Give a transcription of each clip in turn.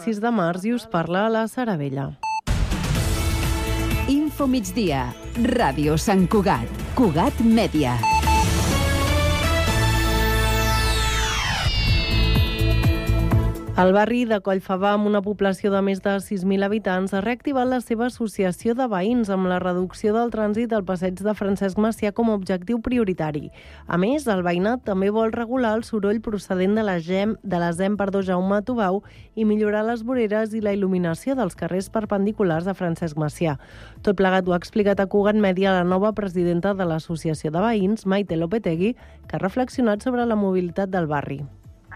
6 de març i us parla la Sara Vella. Info migdia. Ràdio Sant Cugat. Cugat Mèdia. El barri de Collfabà, amb una població de més de 6.000 habitants, ha reactivat la seva associació de veïns amb la reducció del trànsit al passeig de Francesc Macià com a objectiu prioritari. A més, el veïnat també vol regular el soroll procedent de la ZEM Jaume Tubau i millorar les voreres i la il·luminació dels carrers perpendiculars de Francesc Macià. Tot plegat ho ha explicat a Cugat Mèdia la nova presidenta de l'Associació de Veïns, Maite Lopetegui, que ha reflexionat sobre la mobilitat del barri.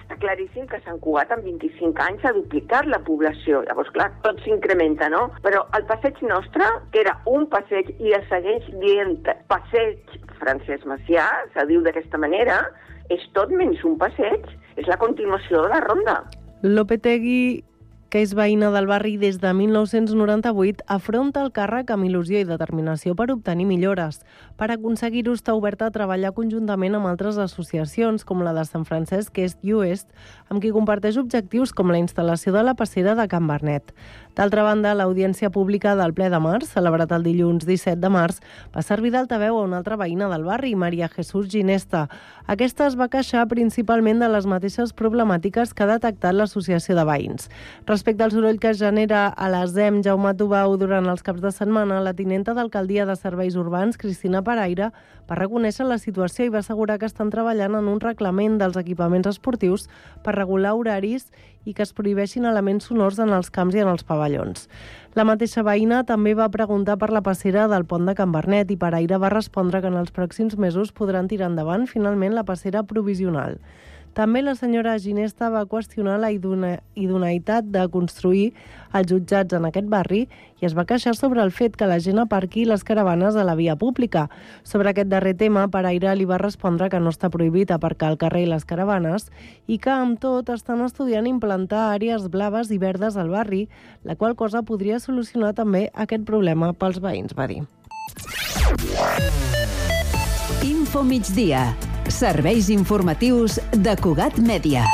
Està claríssim que Sant Cugat en 25 anys ha duplicat la població. Llavors, clar, tot s'incrementa, no? Però el passeig nostre, que era un passeig i es segueix dient passeig Francesc Macià, se diu d'aquesta manera, és tot menys un passeig, és la continuació de la ronda. Lopetegui, que és veïna del barri des de 1998, afronta el càrrec amb il·lusió i determinació per obtenir millores. Per aconseguir-ho està oberta a treballar conjuntament amb altres associacions, com la de Sant Francesc Est i Oest, amb qui comparteix objectius com la instal·lació de la passera de Can Bernet. D'altra banda, l'audiència pública del ple de març, celebrat el dilluns 17 de març, va servir d'altaveu a una altra veïna del barri, Maria Jesús Ginesta. Aquesta es va queixar principalment de les mateixes problemàtiques que ha detectat l'associació de veïns. Respecte al soroll que es genera a la ZEM Jaume Tubau durant els caps de setmana, la tinenta d'Alcaldia de Serveis Urbans, Cristina Paraire, va reconèixer la situació i va assegurar que estan treballant en un reglament dels equipaments esportius per regular horaris i que es prohibeixin elements sonors en els camps i en els pavellons. La mateixa veïna també va preguntar per la passera del pont de Can Bernet i Paraire va respondre que en els pròxims mesos podran tirar endavant finalment la passera provisional. També la senyora Ginesta va qüestionar la idoneïtat de construir els jutjats en aquest barri i es va queixar sobre el fet que la gent aparqui les caravanes a la via pública. Sobre aquest darrer tema, Paraire li va respondre que no està prohibit aparcar al carrer les caravanes i que, amb tot, estan estudiant implantar àrees blaves i verdes al barri, la qual cosa podria solucionar també aquest problema pels veïns, va dir. Info migdia. Serveis informatius de Cugat Mèdia.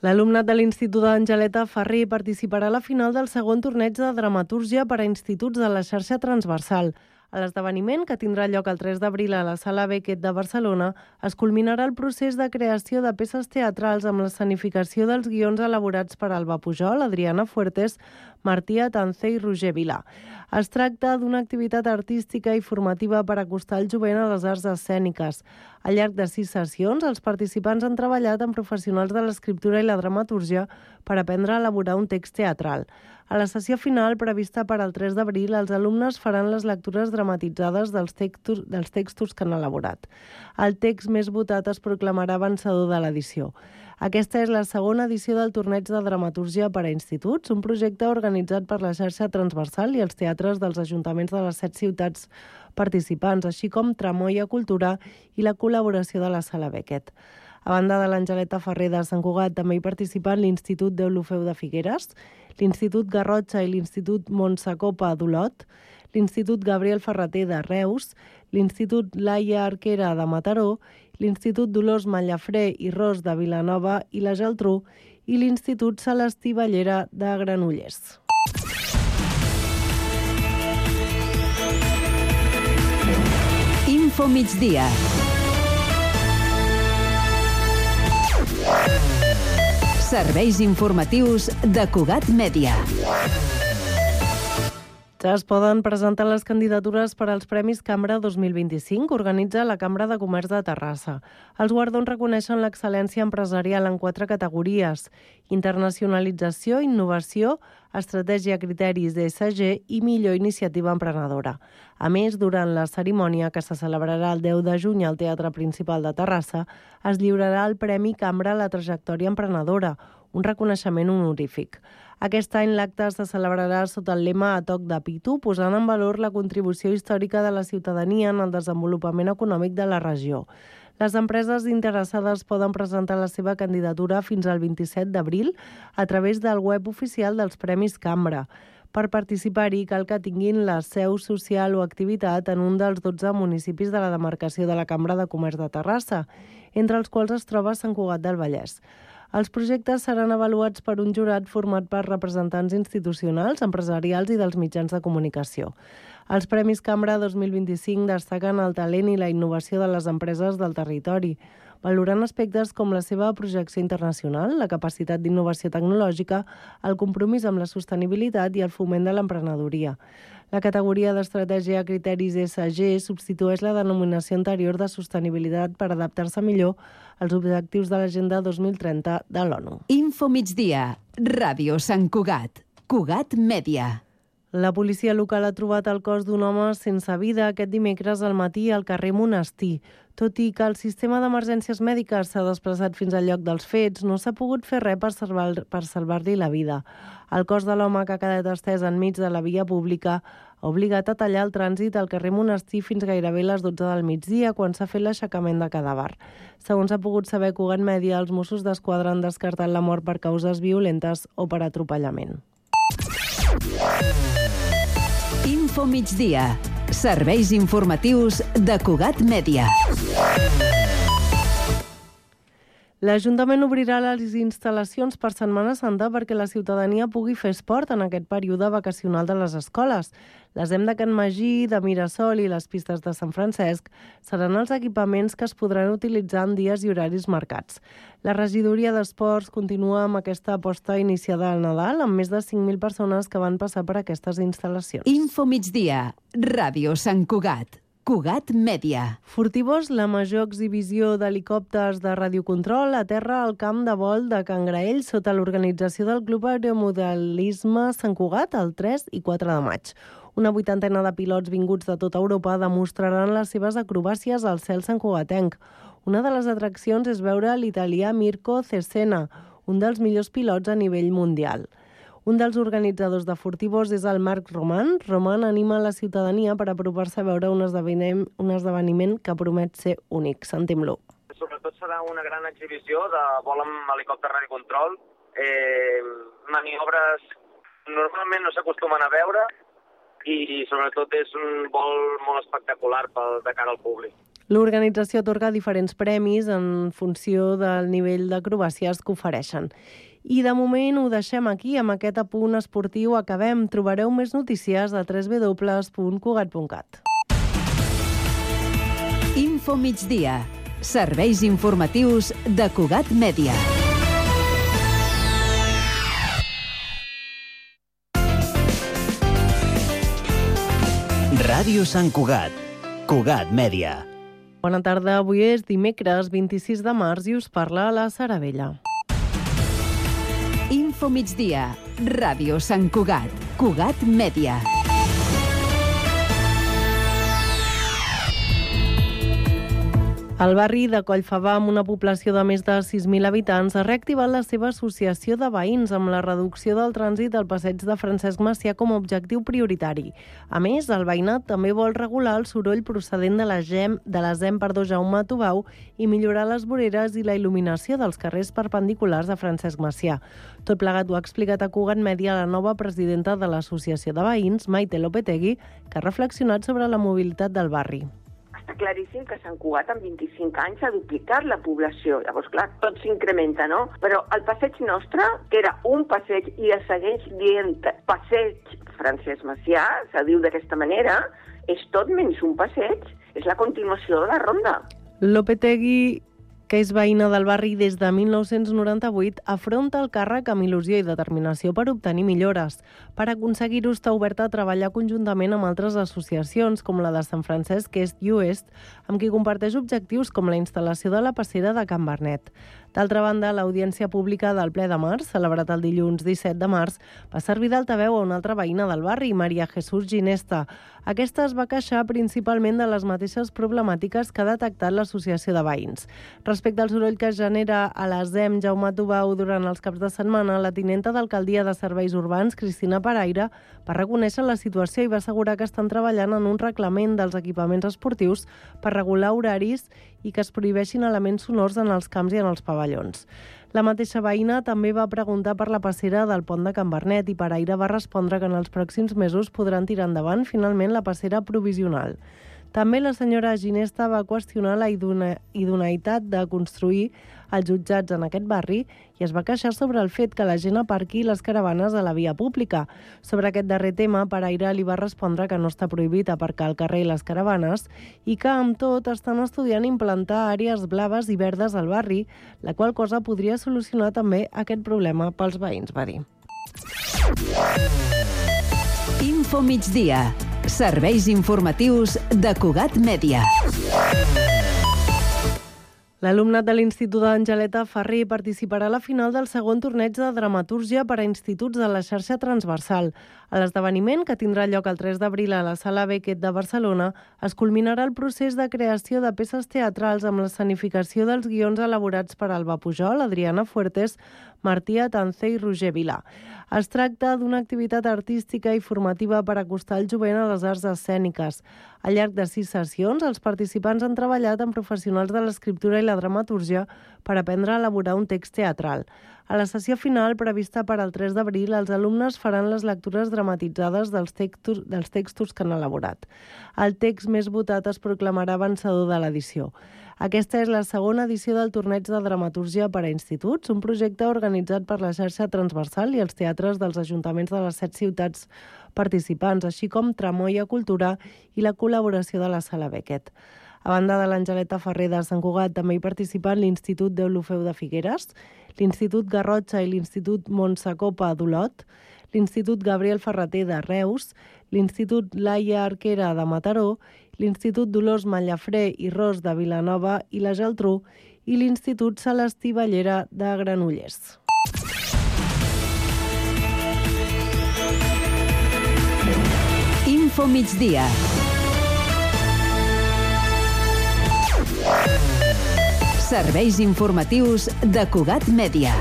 L'alumnat de l'Institut d'Angeleta Ferrer participarà a la final del segon torneig de dramatúrgia per a instituts de la xarxa transversal. A l'esdeveniment, que tindrà lloc el 3 d'abril a la Sala Beckett de Barcelona, es culminarà el procés de creació de peces teatrals amb l'escenificació dels guions elaborats per Alba Pujol, Adriana Fuertes, Martí Atance i Roger Vilà. Es tracta d'una activitat artística i formativa per acostar el jovent a les arts escèniques. Al llarg de 6 sessions, els participants han treballat amb professionals de l'escriptura i la dramatúrgia per aprendre a elaborar un text teatral. A la sessió final, prevista per al 3 d'abril, els alumnes faran les lectures dramatitzades dels textos que han elaborat. El text més votat es proclamarà vencedor de l'edició. Aquesta és la segona edició del torneig de dramatúrgia per a instituts, un projecte organitzat per la xarxa transversal i els teatres dels ajuntaments de les 7 ciutats participants, així com Tramoia Cultura i la col·laboració de la Sala Beckett. A banda de l'Angeleta Ferrer de Sant Cugat, també hi participen l'Institut Deulofeu de Figueres, l'Institut Garrotxa i l'Institut Montsacopa d'Olot, l'Institut Gabriel Ferrater de Reus, l'Institut Laia Arquera de Mataró, l'Institut Dolors Mallafré i Ros de Vilanova i la Geltrú i l'Institut Celestí Ballera de Granollers. Info migdia. Serveis informatius de Cugat Mèdia. Ja es poden presentar les candidatures per als Premis Cambra 2025 que organitza la Cambra de Comerç de Terrassa. Els guardons reconeixen l'excel·lència empresarial en 4 categories: internacionalització, innovació, estratègia, criteris d'ESG i millor iniciativa emprenedora. A més, durant la cerimònia, que se celebrarà el 10 de juny al Teatre Principal de Terrassa, es lliurarà el Premi Cambra a la trajectòria emprenedora, un reconeixement honorífic. Aquest any l'acte se celebrarà sota el lema A toc de pitu, posant en valor la contribució històrica de la ciutadania en el desenvolupament econòmic de la regió. Les empreses interessades poden presentar la seva candidatura fins al 27 d'abril a través del web oficial dels Premis Cambra. Per participar-hi cal que tinguin la seu social o activitat en un dels 12 municipis de la demarcació de la Cambra de Comerç de Terrassa, entre els quals es troba Sant Cugat del Vallès. Els projectes seran avaluats per un jurat format per representants institucionals, empresarials i dels mitjans de comunicació. Els Premis Cambra 2025 destaquen el talent i la innovació de les empreses del territori, valorant aspectes com la seva projecció internacional, la capacitat d'innovació tecnològica, el compromís amb la sostenibilitat i el foment de l'emprenedoria. La categoria d'estratègia criteris ESG substitueix la denominació anterior de sostenibilitat per adaptar-se millor als objectius de l'Agenda 2030 de l'ONU. Info migdia, Ràdio Sant Cugat, Cugat Mèdia. La policia local ha trobat el cos d'un home sense vida aquest dimecres al matí al carrer Monestir. Tot i que el sistema d'emergències mèdiques s'ha desplaçat fins al lloc dels fets, no s'ha pogut fer res per salvar-li la vida. El cos de l'home, que ha quedat estès enmig de la via pública, ha obligat a tallar el trànsit al carrer Monestir fins gairebé les 12 del migdia, quan s'ha fet l'aixecament de cadàver. Segons ha pogut saber Cugat Mèdia, els Mossos d'Esquadra han descartat la mort per causes violentes o per atropellament. Info migdia. Serveis informatius de Cugat Mèdia. L'Ajuntament obrirà les instal·lacions per Setmana Santa perquè la ciutadania pugui fer esport en aquest període vacacional de les escoles. L'ESEM de Can Magí, de Mirasol i les pistes de Sant Francesc seran els equipaments que es podran utilitzar en dies i horaris marcats. La regidoria d'Esports continua amb aquesta aposta iniciada al Nadal, amb més de 5.000 persones que van passar per aquestes instal·lacions. Info migdia, Ràdio Sant Cugat, Cugat Mèdia. Furtivós, la major exhibició d'helicòpters de radiocontrol, aterra al camp de vol de Can Graell sota l'organització del Club Aeromodelisme Sant Cugat el 3 i 4 de maig. Una 80ena de pilots vinguts de tota Europa demostraran les seves acrobàcies al cel santcugatenc. Una de les atraccions és veure l'italià Mirko Cesena, un dels millors pilots a nivell mundial. Un dels organitzadors de Furtivós és el Marc Roman. Roman anima la ciutadania per apropar-se a veure un esdeveniment que promet ser únic. Sentim-lo. Sobretot serà una gran exhibició de vol amb helicòpter radiocontrol, maniobres normalment no s'acostumen a veure i sobretot és un vol molt espectacular de cara al públic. L'organització atorga diferents premis en funció del nivell d'acrobàcies que ofereixen. I de moment ho deixem aquí, amb aquest apunt esportiu acabem. Trobareu més notícies a www.cugat.cat. Info migdia. Serveis informatius de Cugat Mèdia. Ràdio Sant Cugat, Cugat Mèdia. Bona tarda, avui és dimecres 26 de març i us parla la Sara Vella. Info migdia, Ràdio Sant Cugat, Cugat Mèdia. El barri de Collfabà, amb una població de més de 6.000 habitants, ha reactivat la seva associació de veïns amb la reducció del trànsit al passeig de Francesc Macià com a objectiu prioritari. A més, el veïnat també vol regular el soroll procedent de la ZEM Jaume Tubau i millorar les voreres i la il·luminació dels carrers perpendiculars de Francesc Macià. Tot plegat ho ha explicat a Cugat Mèdia la nova presidenta de l'Associació de Veïns, Maite Lopetegui, que ha reflexionat sobre la mobilitat del barri. Està claríssim que Sant Cugat en 25 anys ha duplicat la població. Llavors, clar, tot s'incrementa, no? Però el passeig nostre, que era un passeig i es segueix dient passeig Francesc Macià, se diu d'aquesta manera, és tot menys un passeig, és la continuació de la ronda. Lopetegui, que és veïna del barri des de 1998, afronta el càrrec amb il·lusió i determinació per obtenir millores. Per aconseguir-ho està oberta a treballar conjuntament amb altres associacions, com la de Sant Francesc Est i Oest, amb qui comparteix objectius com la instal·lació de la passera de Can Bernet. D'altra banda, l'audiència pública del ple de març, celebrat el dilluns 17 de març, va servir d'altaveu a una altra veïna del barri, Maria Jesús Ginesta. Aquesta es va queixar principalment de les mateixes problemàtiques que ha detectat l'associació de veïns. Respecte al soroll que es genera a la ZEM Jaume Tubau durant els caps de setmana, la tinenta d'alcaldia de Serveis Urbans, Cristina Paraire, va reconèixer la situació i va assegurar que estan treballant en un reglament dels equipaments esportius per regular horaris i que es prohibeixin elements sonors en els camps i en els pavellons. La mateixa veïna també va preguntar per la passera del pont de Can Bernet i Paraire va respondre que en els pròxims mesos podran tirar endavant finalment la passera provisional. També la senyora Ginesta va qüestionar la idoneïtat de construir als jutjats en aquest barri i es va queixar sobre el fet que la gent aparqui les caravanes a la via pública. Sobre aquest darrer tema, Paraire li va respondre que no està prohibit aparcar al carrer les caravanes i que, amb tot, estan estudiant implantar àrees blaves i verdes al barri, la qual cosa podria solucionar també aquest problema pels veïns, va dir. Info migdia. Serveis informatius de Cugat Mèdia. L'alumnat de l'Institut Angeleta Ferrer participarà a la final del segon torneig de dramatúrgia per a instituts de la xarxa transversal. A l'esdeveniment, que tindrà lloc el 3 d'abril a la Sala Beckett de Barcelona, es culminarà el procés de creació de peces teatrals amb l'escenificació dels guions elaborats per Alba Pujol, Adriana Fuertes, Martí Atance i Roger Vilà. Es tracta d'una activitat artística i formativa per acostar el jovent a les arts escèniques. Al llarg de 6 sessions, els participants han treballat amb professionals de l'escriptura i la dramatúrgia per aprendre a elaborar un text teatral. A la sessió final, prevista per al 3 d'abril, els alumnes faran les lectures dramatitzades dels textos que han elaborat. El text més votat es proclamarà vencedor de l'edició. Aquesta és la segona edició del torneig de dramatúrgia per a instituts, un projecte organitzat per la xarxa transversal i els teatres dels ajuntaments de les 7 ciutats participants, així com Tramoia Cultura i la col·laboració de la Sala Beckett. A banda de l'Angeleta Ferrer de Sant Cugat, també hi participen l'Institut Deulofeu de Figueres, l'Institut Garrotxa i l'Institut Montsacopa d'Olot, l'Institut Gabriel Ferrater de Reus, l'Institut Laia Arquera de Mataró, l'Institut Dolors Mallafré i Ros de Vilanova i la Geltrú i l'Institut Celestí Ballera de Granollers. Info migdia. Serveis informatius de Cugat Mèdia.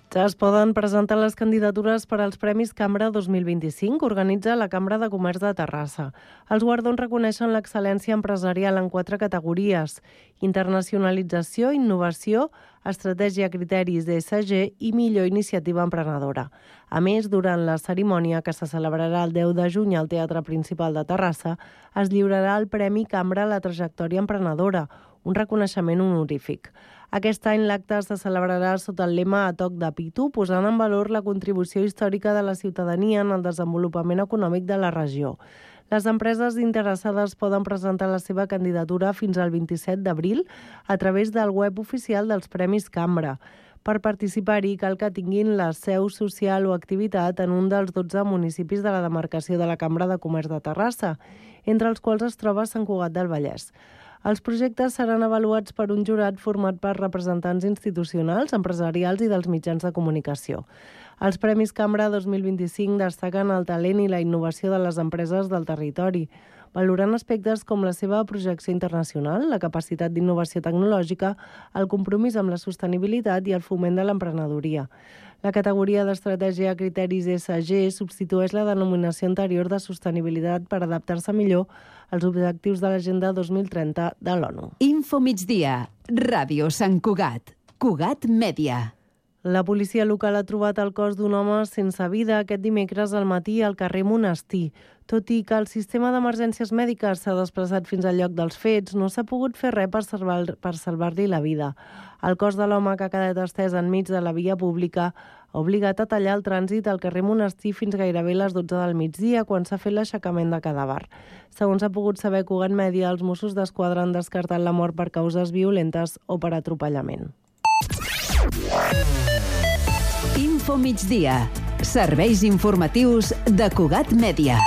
Ja es poden presentar les candidatures per als Premis Cambra 2025 que organitza la Cambra de Comerç de Terrassa. Els guardons reconeixen l'excel·lència empresarial en 4 categories: internacionalització, innovació, estratègia, criteris d'ESG i millor iniciativa emprenedora. A més, durant la cerimònia, que se celebrarà el 10 de juny al Teatre Principal de Terrassa, es lliurarà el Premi Cambra a la trajectòria emprenedora, un reconeixement honorífic. Aquest any l'acte se celebrarà sota el lema A toc de pito, posant en valor la contribució històrica de la ciutadania en el desenvolupament econòmic de la regió. Les empreses interessades poden presentar la seva candidatura fins al 27 d'abril a través del web oficial dels Premis Cambra. Per participar-hi cal que tinguin la seu social o activitat en un dels 12 municipis de la demarcació de la Cambra de Comerç de Terrassa, entre els quals es troba Sant Cugat del Vallès. Els projectes seran avaluats per un jurat format per representants institucionals, empresarials i dels mitjans de comunicació. Els Premis Cambra 2025 destaquen el talent i la innovació de les empreses del territori, valorant aspectes com la seva projecció internacional, la capacitat d'innovació tecnològica, el compromís amb la sostenibilitat i el foment de l'emprenedoria. La categoria d'estratègia criteris ESG substitueix la denominació anterior de sostenibilitat per adaptar-se millor als objectius de l'Agenda 2030 de l'ONU. Info migdia. Ràdio Sant Cugat. Cugat Mèdia. La policia local ha trobat el cos d'un home sense vida aquest dimecres al matí al carrer Monestir. Tot i que el sistema d'emergències mèdiques s'ha desplaçat fins al lloc dels fets, no s'ha pogut fer res per salvar-li la vida. El cos de l'home, que ha quedat estès enmig de la via pública, ha obligat a tallar el trànsit al carrer Monestir fins gairebé les 12 del migdia, quan s'ha fet l'aixecament de cadàver. Segons ha pogut saber Cugat Mèdia, els Mossos d'Esquadra han descartat la mort per causes violentes o per atropellament. Info migdia. Serveis informatius de Cugat Mèdia.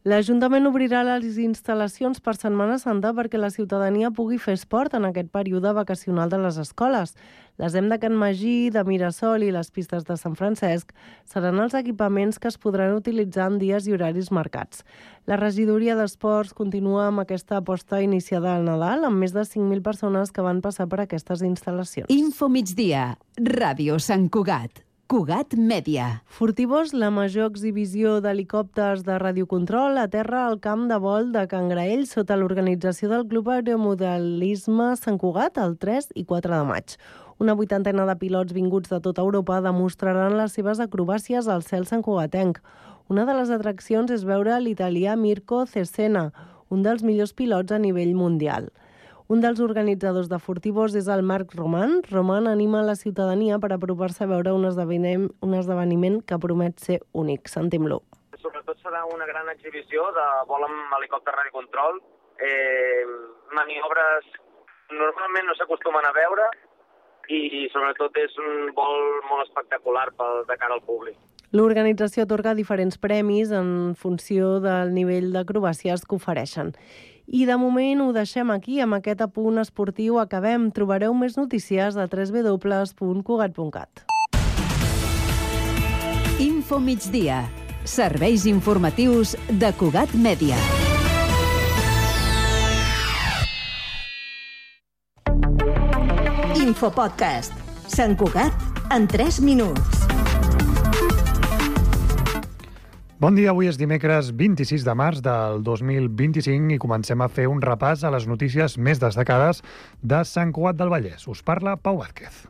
L'Ajuntament obrirà les instal·lacions per Setmana Santa perquè la ciutadania pugui fer esport en aquest període vacacional de les escoles. L'ESEM de Can Magí, de Mirasol i les pistes de Sant Francesc seran els equipaments que es podran utilitzar en dies i horaris marcats. La regidoria d'Esports continua amb aquesta aposta iniciada al Nadal, amb més de 5.000 persones que van passar per aquestes instal·lacions. Info migdia. Ràdio Sant Cugat. Cugat Mèdia. Furtivós, la major exhibició d'helicòpters de radiocontrol aterra al camp de vol de Can Graell sota l'organització del Club Aeromodelisme Sant Cugat el 3 i 4 de maig. Una 80ena de pilots vinguts de tota Europa demostraran les seves acrobàcies al cel santcugatenc. Una de les atraccions és veure l'italià Mirko Cesena, un dels millors pilots a nivell mundial. Un dels organitzadors de Furtivos és el Marc Roman. Roman anima la ciutadania per apropar-se a veure un esdeveniment que promet ser únic. Sentim-lo. Sobretot serà una gran exhibició de vol amb helicòpter radiocontrol, maniobres normalment no s'acostumen a veure i sobretot és un vol molt espectacular de cara al públic. L'organització atorga diferents premis en funció del nivell d'acrobàcies que ofereixen. I de moment ho deixem aquí, amb aquest apunt esportiu acabem. Trobareu més notícies a www.cugat.cat. Info migdia. Serveis informatius de Cugat Mèdia. Infopodcast. Sant Cugat en 3 minuts. Bon dia, avui és dimecres 26 de març del 2025 i comencem a fer un repàs a les notícies més destacades de Sant Cugat del Vallès. Us parla Pau Vázquez.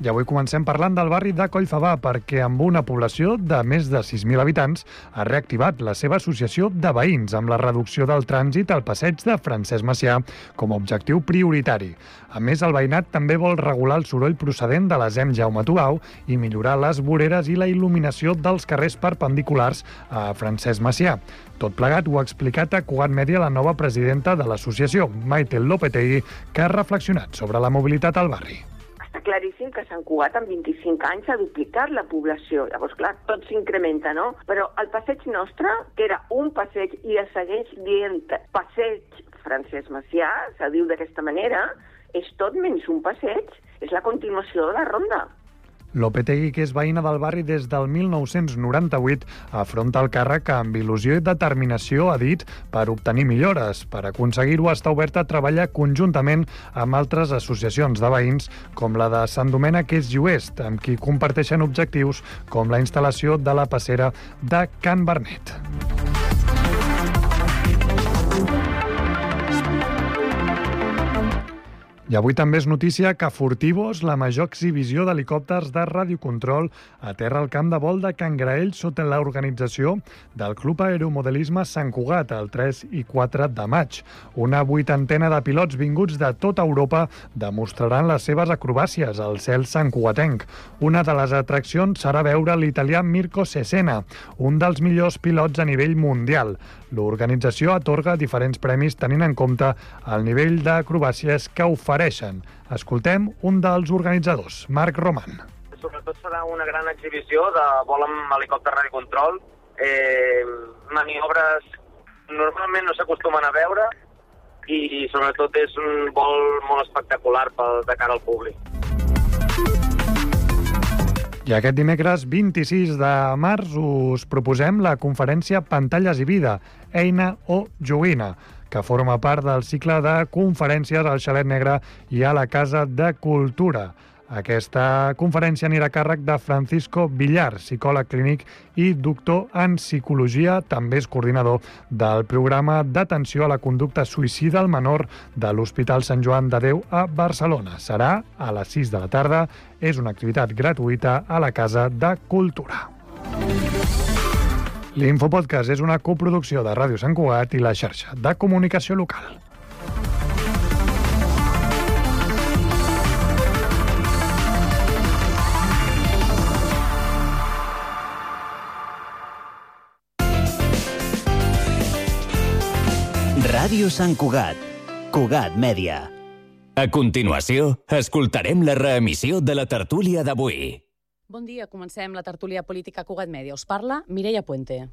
I avui comencem parlant del barri de Collfabà perquè amb una població de més de 6.000 habitants ha reactivat la seva associació de veïns amb la reducció del trànsit al passeig de Francesc Macià com a objectiu prioritari. A més, el veïnat també vol regular el soroll procedent de la ZEM Jaume Tubau i millorar les voreres i la il·luminació dels carrers perpendiculars a Francesc Macià. Tot plegat ho ha explicat a Cugat Mèdia la nova presidenta de l'associació, Maite Lopetegui, que ha reflexionat sobre la mobilitat al barri. Està claríssim que Sant Cugat en 25 anys ha duplicat la població. Llavors, clar, tot s'incrementa, no? Però el passeig nostre, que era un passeig i es segueix dient passeig Francesc Macià, se diu d'aquesta manera, és tot menys un passeig, és la continuació de la ronda. Lopetegui, que és veïna del barri des del 1998, afronta el càrrec amb il·lusió i determinació, ha dit, per obtenir millores. Per aconseguir-ho, està oberta a treballar conjuntament amb altres associacions de veïns, com la de Sant Domènec és Oest, amb qui comparteixen objectius com la instal·lació de la passera de Can Bernet. I avui també és notícia que Furtivos, la major exhibició d'helicòpters de radiocontrol, aterra al camp de vol de Can Graell sota l'organització del Club Aeromodelisme Sant Cugat el 3 i 4 de maig. Una 80ena de pilots vinguts de tota Europa demostraran les seves acrobàcies al cel santcugatenc. Una de les atraccions serà veure l'italià Mirko Cesena, un dels millors pilots a nivell mundial. L'organització atorga diferents premis tenint en compte el nivell d'acrobàcies que ofereixen. Escoltem un dels organitzadors, Marc Roman. Sobretot serà una gran exhibició de vol amb helicòpter radiocontrol, maniobres normalment no s'acostumen a veure i sobretot és un vol molt espectacular de cara al públic. I aquest dimecres 26 de març us proposem la conferència Pantalles i Vida, eina o joguina, que forma part del cicle de conferències al Xalet Negre i a la Casa de Cultura. Aquesta conferència anirà a càrrec de Francisco Villar, psicòleg clínic i doctor en psicologia, també és coordinador del programa d'atenció a la conducta suïcida al menor de l'Hospital Sant Joan de Déu a Barcelona. Serà a les 6 de la tarda, és una activitat gratuïta a la Casa de Cultura. L'Infopodcast és una coproducció de Ràdio Sant Cugat i la xarxa de comunicació local. Ràdio Sant Cugat. Cugat Mèdia. A continuació, escoltarem la reemissió de la tertúlia d'avui. Bon dia, comencem la tertúlia política Cugat Mèdia. Us parla Mireia Puente.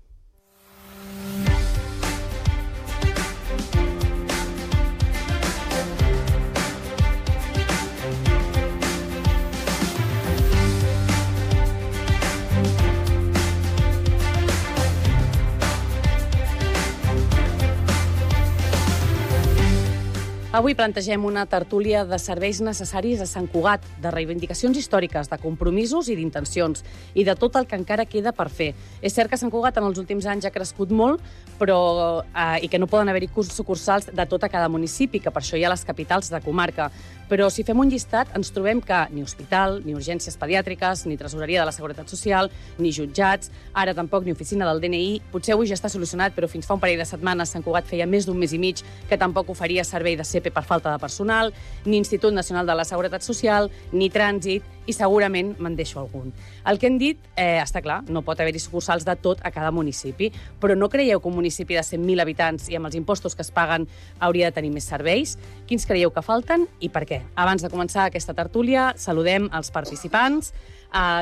Avui plantegem una tertúlia de serveis necessaris a Sant Cugat, de reivindicacions històriques, de compromisos i d'intencions, i de tot el que encara queda per fer. És cert que Sant Cugat en els últims anys ha crescut molt, però i que no poden haver-hi sucursals de tot a cada municipi, que per això hi ha les capitals de comarca. Però si fem un llistat ens trobem que ni hospital, ni urgències pediàtriques, ni tresoreria de la Seguretat Social, ni jutjats, ara tampoc ni oficina del DNI. Potser avui ja està solucionat, però fins fa un parell de setmanes Sant Cugat feia més d'un mes i mig que tampoc oferia servei de CP per falta de personal, ni Institut Nacional de la Seguretat Social, ni trànsit, i segurament me'n deixo algun. El que hem dit, està clar, no pot haver-hi sucursals de tot a cada municipi, però no creieu que un municipi de 100.000 habitants i amb els impostos que es paguen hauria de tenir més serveis? Quins creieu que falten i per què? Abans de començar aquesta tertúlia, saludem els participants.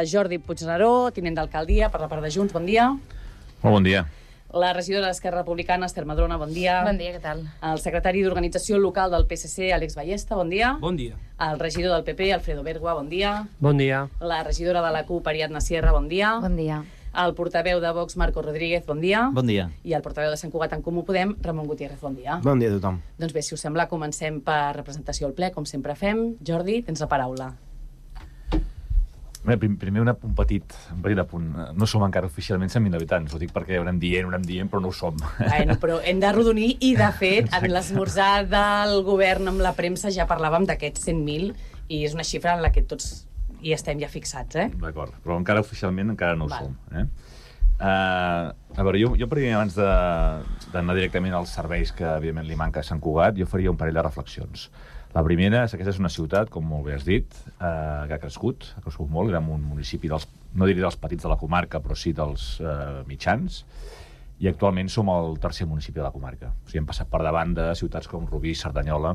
Jordi Puigneró, tinent d'alcaldia per la part de Junts, bon dia. Molt bon dia. La regidora d'Esquerra Republicana, Esther Madrona, bon dia. Bon dia, què tal? El secretari d'Organització Local del PSC, Àlex Ballesta, bon dia. Bon dia. El regidor del PP, Alfredo Bergua, bon dia. Bon dia. La regidora de la CUP, Ariadna Sierra, bon dia. Bon dia. El portaveu de Vox, Marco Rodríguez, bon dia. Bon dia. I el portaveu de Sant Cugat en Comú Podem, Ramon Gutiérrez, bon dia. Bon dia a tothom. Doncs bé, si us sembla, comencem per representació al ple, com sempre fem. Jordi, tens la paraula. Primer un petit apunt. No som encara oficialment 100.000 habitants. Ho dic perquè ho anem dient, però no ho som. Bueno, però hem de rodonir i, de fet, en l'esmorzar del govern amb la premsa ja parlàvem d'aquests 100.000 i és una xifra en la que tots hi estem ja fixats, D'acord, però encara oficialment encara no ho som. A veure, jo primer, abans d'anar directament als serveis que, evidentment, li manca a Sant Cugat, jo faria un parell de reflexions. La primera és que aquesta és una ciutat, com molt bé has dit, que ha crescut molt. Érem un municipi, no diré dels petits de la comarca, però sí dels mitjans, i actualment som el tercer municipi de la comarca. O sigui, hem passat per davant de ciutats com Rubí, Cerdanyola,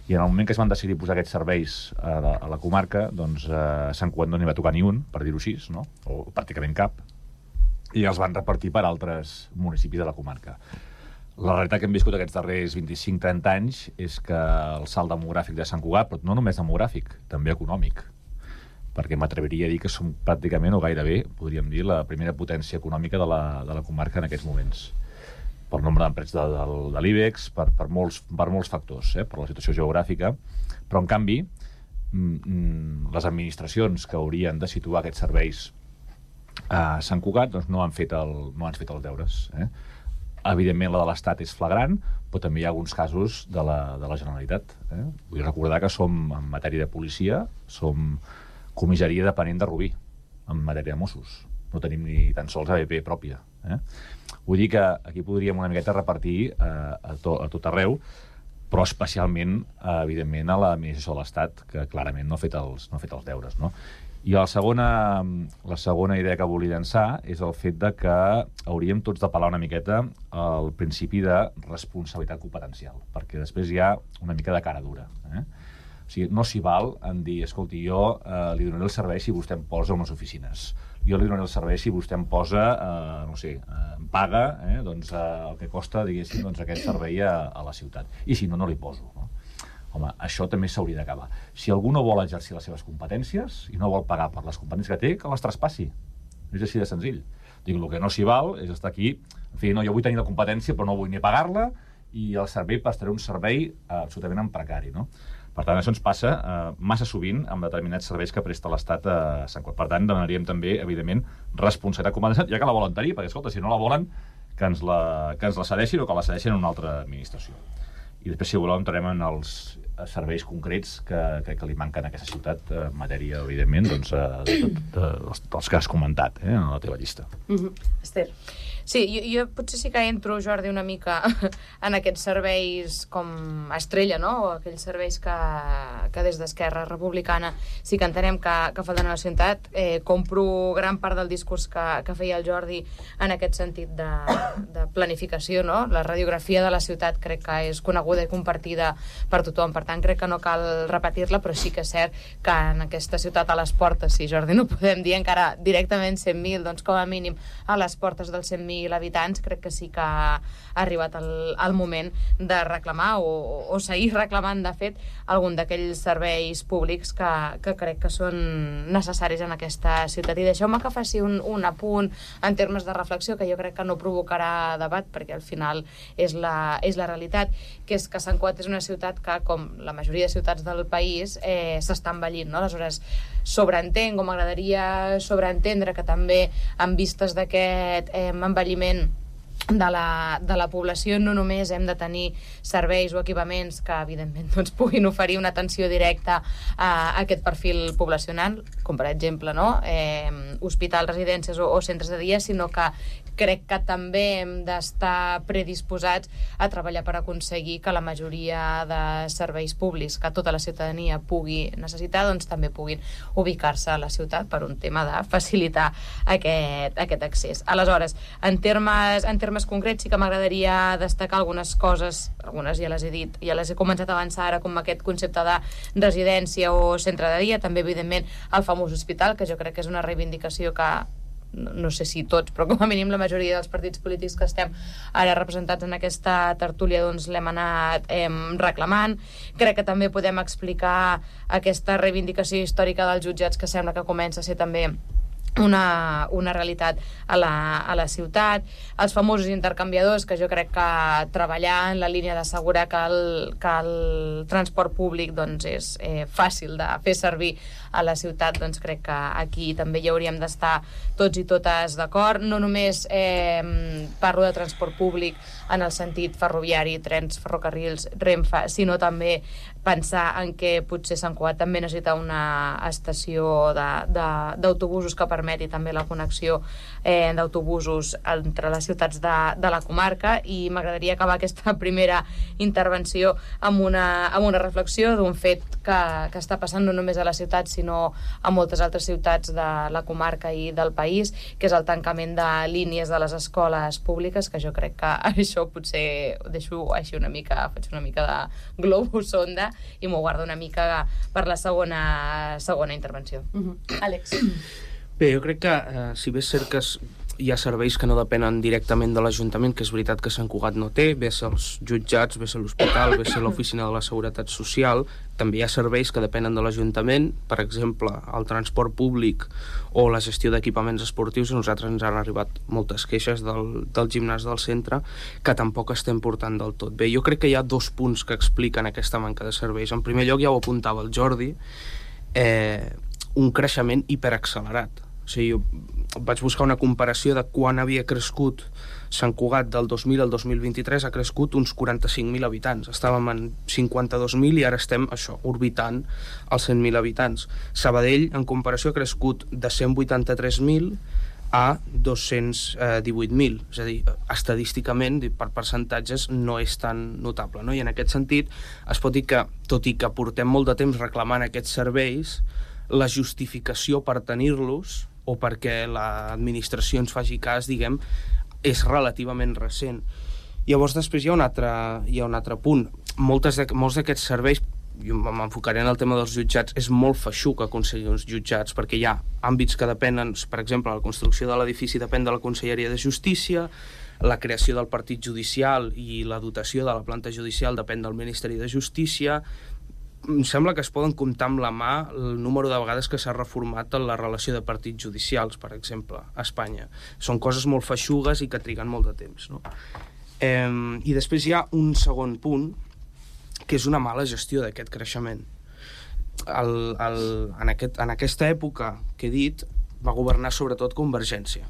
i en el moment que es van decidir posar aquests serveis a la comarca, doncs a Sant Cugat no n'hi va tocar ni un, per dir-ho així, no? O pràcticament cap, i els van repartir per altres municipis de la comarca. La realitat que hem viscut aquests darrers 25-30 anys és que el salt demogràfic de Sant Cugat, però no només demogràfic, també econòmic, perquè m'atreviria a dir que som pràcticament o gairebé, podríem dir, la primera potència econòmica de la comarca en aquests moments. Per nombre d'empreses de l'IBEX, per molts factors, per la situació geogràfica, però en canvi les administracions que haurien de situar aquests serveis a Sant Cugat doncs no han fet els deures. Evidentment, la de l'Estat és flagrant, però també hi ha alguns casos de la Generalitat. Vull recordar que som, en matèria de policia, som comissaria depenent de Rubí, en matèria de Mossos. No tenim ni tan sols ABP pròpia. Vull dir que aquí podríem una miqueta repartir a tot arreu, però especialment, evidentment, a l'administració de l'Estat, que clarament no ha fet els deures, no? I la segona idea que volia llançar és el fet de que hauríem tots d'apel·lar una miqueta al principi de responsabilitat competencial, perquè després hi ha una mica de cara dura. O sigui, no s'hi val en dir, escolti, jo li donaré el servei si vostè em posa unes oficines. Jo li donaré el servei si vostè em posa, no sé, em paga el que costa, diguéssim, aquest servei a la ciutat. I si no, no li poso, no? Home, això també s'hauria d'acabar. Si algú no vol exercir les seves competències i no vol pagar per les competències que té, que les traspassi. És així de senzill. Dic, el que no s'hi val és estar aquí, en fi, no, jo vull tenir la competència però no vull ni pagar-la i el servei prestaré un servei absolutament en precari, no? Per tant, això ens passa massa sovint amb determinats serveis que presta l'Estat a Sant Cugat. Per tant, demanaríem també, evidentment, responsabilitat competencial, ja que la volen tenir, perquè, escolta, si no la volen, que ens la cedeixin o que la cedeixin a una altra administració. I després, si voleu, entrarem en els serveis concrets que li manquen a aquesta ciutat en matèria, evidentment, dels que has comentat en la teva llista. Esther. Sí, jo potser sí que entro, Jordi, una mica en aquests serveis com estrella, no? O aquells serveis que des d'Esquerra Republicana sí que entenem que falten a la ciutat. Compro gran part del discurs que feia el Jordi en aquest sentit de planificació, no? La radiografia de la ciutat crec que és coneguda i compartida per tothom, per tant crec que no cal repetir-la, però sí que és cert que en aquesta ciutat a les portes, si Jordi no podem dir encara directament 100.000, doncs com a mínim a les portes dels 100.000 habitants, crec que sí que ha arribat el moment de reclamar o seguir reclamant, de fet, algun d'aquells serveis públics que crec que són necessaris en aquesta ciutat. I deixeu-me que faci un apunt en termes de reflexió, que jo crec que no provocarà debat, perquè al final és la realitat, que és que Sant Cugat és una ciutat que, com la majoria de ciutats del país, s'està envellint, no? Aleshores, sobreentenc, o m'agradaria sobreentendre que també en vistes d'aquest envelliment de la població no només hem de tenir serveis o equipaments que evidentment doncs, puguin oferir una atenció directa a aquest perfil poblacional, com per exemple hospitals, residències o centres de dia, sinó que crec que també hem d'estar predisposats a treballar per aconseguir que la majoria de serveis públics que tota la ciutadania pugui necessitar doncs també puguin ubicar-se a la ciutat per un tema de facilitar aquest accés. Aleshores, en termes concrets sí que m'agradaria destacar algunes coses, algunes ja les he dit, ja les he començat a avançar ara, com aquest concepte de residència o centre de dia, també evidentment el famós hospital, que jo crec que és una reivindicació que no sé si tots, però com a mínim la majoria dels partits polítics que estem ara representats en aquesta tertúlia doncs l'hem anat reclamant. Crec que també podem explicar aquesta reivindicació històrica dels jutjats, que sembla que comença a ser també una realitat a la ciutat, els famosos intercanviadors, que jo crec que treballar en la línia d'assegurar que el transport públic doncs, és fàcil de fer servir a la ciutat, doncs crec que aquí també hi hauríem d'estar tots i totes d'acord. No només parlo de transport públic en el sentit ferroviari, trens, ferrocarrils, Renfe, sinó també pensar en què potser Sant Cugat també necessita una estació d'autobusos que permeti també la connexió d'autobusos entre les ciutats de la comarca. I m'agradaria acabar aquesta primera intervenció amb una reflexió d'un fet que està passant no només a la ciutat sinó a moltes altres ciutats de la comarca i del país, que és el tancament de línies de les escoles públiques, que jo crec que això potser ho deixo així una mica, faig una mica de globus sonda i m'ho guardo una mica per la segona intervenció. Àlex. Bé, jo crec que si bé és cert que hi ha serveis que no depenen directament de l'Ajuntament, que és veritat que Sant Cugat no té, bé ser els jutjats, bé ser l'hospital, bé ser l'oficina de la Seguretat Social, també hi ha serveis que depenen de l'Ajuntament, per exemple, el transport públic o la gestió d'equipaments esportius. A nosaltres ens han arribat moltes queixes del gimnàs del centre que tampoc estem portant del tot bé. Jo crec que hi ha dos punts que expliquen aquesta manca de serveis. En primer lloc, ja ho apuntava el Jordi, un creixement hiperaccelerat. O sigui, jo vaig buscar una comparació de quan havia crescut Sant Cugat del 2000 al 2023, ha crescut uns 45.000 habitants. Estàvem en 52.000 i ara estem, orbitant els 100.000 habitants. Sabadell, en comparació, ha crescut de 183.000 a 218.000. És a dir, estadísticament, per percentatges, no és tan notable, no? I en aquest sentit, es pot dir que, tot i que portem molt de temps reclamant aquests serveis, la justificació per tenir-los o perquè l'administració ens faci cas, diguem, és relativament recent. Llavors, després hi ha un altre punt. Molts d'aquests serveis, jo m'enfocaré en el tema dels jutjats, és molt feixuc aconseguir uns jutjats, perquè hi ha àmbits que depenen, per exemple, la construcció de l'edifici depèn de la Conselleria de Justícia, la creació del partit judicial i la dotació de la planta judicial depèn del Ministeri de Justícia. Em sembla que es poden comptar amb la mà el número de vegades que s'ha reformat la relació de partits judicials, per exemple, a Espanya. Són coses molt feixugues i que triguen molt de temps, no? I després hi ha un segon punt, que és una mala gestió d'aquest creixement. En aquesta època que he dit, va governar sobretot Convergència.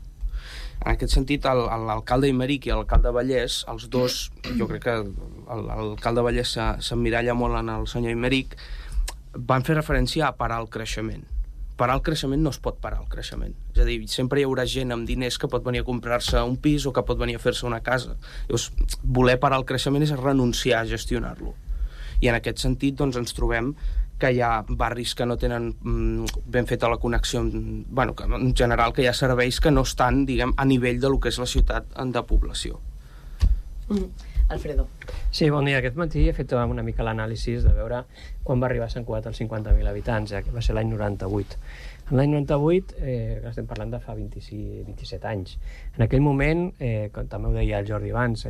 En aquest sentit, l'alcalde Imeric i l'alcalde Vallès, els dos, jo crec que l'alcalde Vallès s'emmiralla molt en el senyor Imeric, van fer referència a parar el creixement. Parar el creixement no es pot parar el creixement. És a dir, sempre hi haurà gent amb diners que pot venir a comprar-se un pis o que pot venir a fer-se una casa. Llavors, voler parar el creixement és renunciar a gestionar-lo. I en aquest sentit, doncs, ens trobem que hi ha barris que no tenen ben feta la connexió, que en general que hi ha serveis que no estan, diguem, a nivell de lo que és la ciutat de població. Alfredo. Sí, bon dia. Aquest matí he fet una mica l'anàlisi de veure quan va arribar a Sant Cugat als 50.000 habitants, que va ser l'any 98. En l'any 98, estem parlant de fa 27 anys. En aquell moment, com també ho deia el Jordi abans,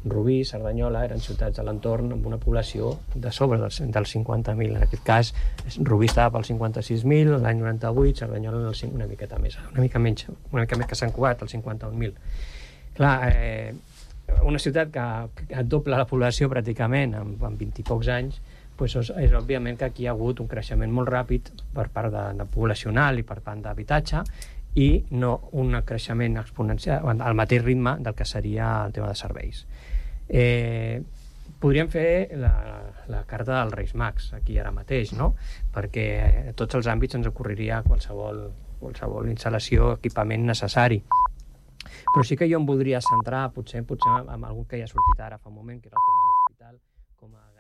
Rubí, Cerdanyola eren ciutats de l'entorn amb una població de sobre dels 50.000. En aquest cas, Rubí estava pels 56.000, l'any 98, Cerdanyola una miqueta més, una mica més que Sant Cugat, els 51.000. Clar, una ciutat que dobla la població pràcticament en 20 i pocs anys, és òbviament que aquí hi ha hagut un creixement molt ràpid per part de poblacional i per part d'habitatge i no un creixement exponencial al mateix ritme del que seria el tema de serveis. Podríem fer la carta dels Reis Mags aquí ara mateix, no? Perquè a tots els àmbits ens ocorreria qualsevol instal·lació, equipament necessari. Però sí que jo em voldria centrar potser en algun que ja ha sortit ara fa un moment, que era el tema de l'hospital com a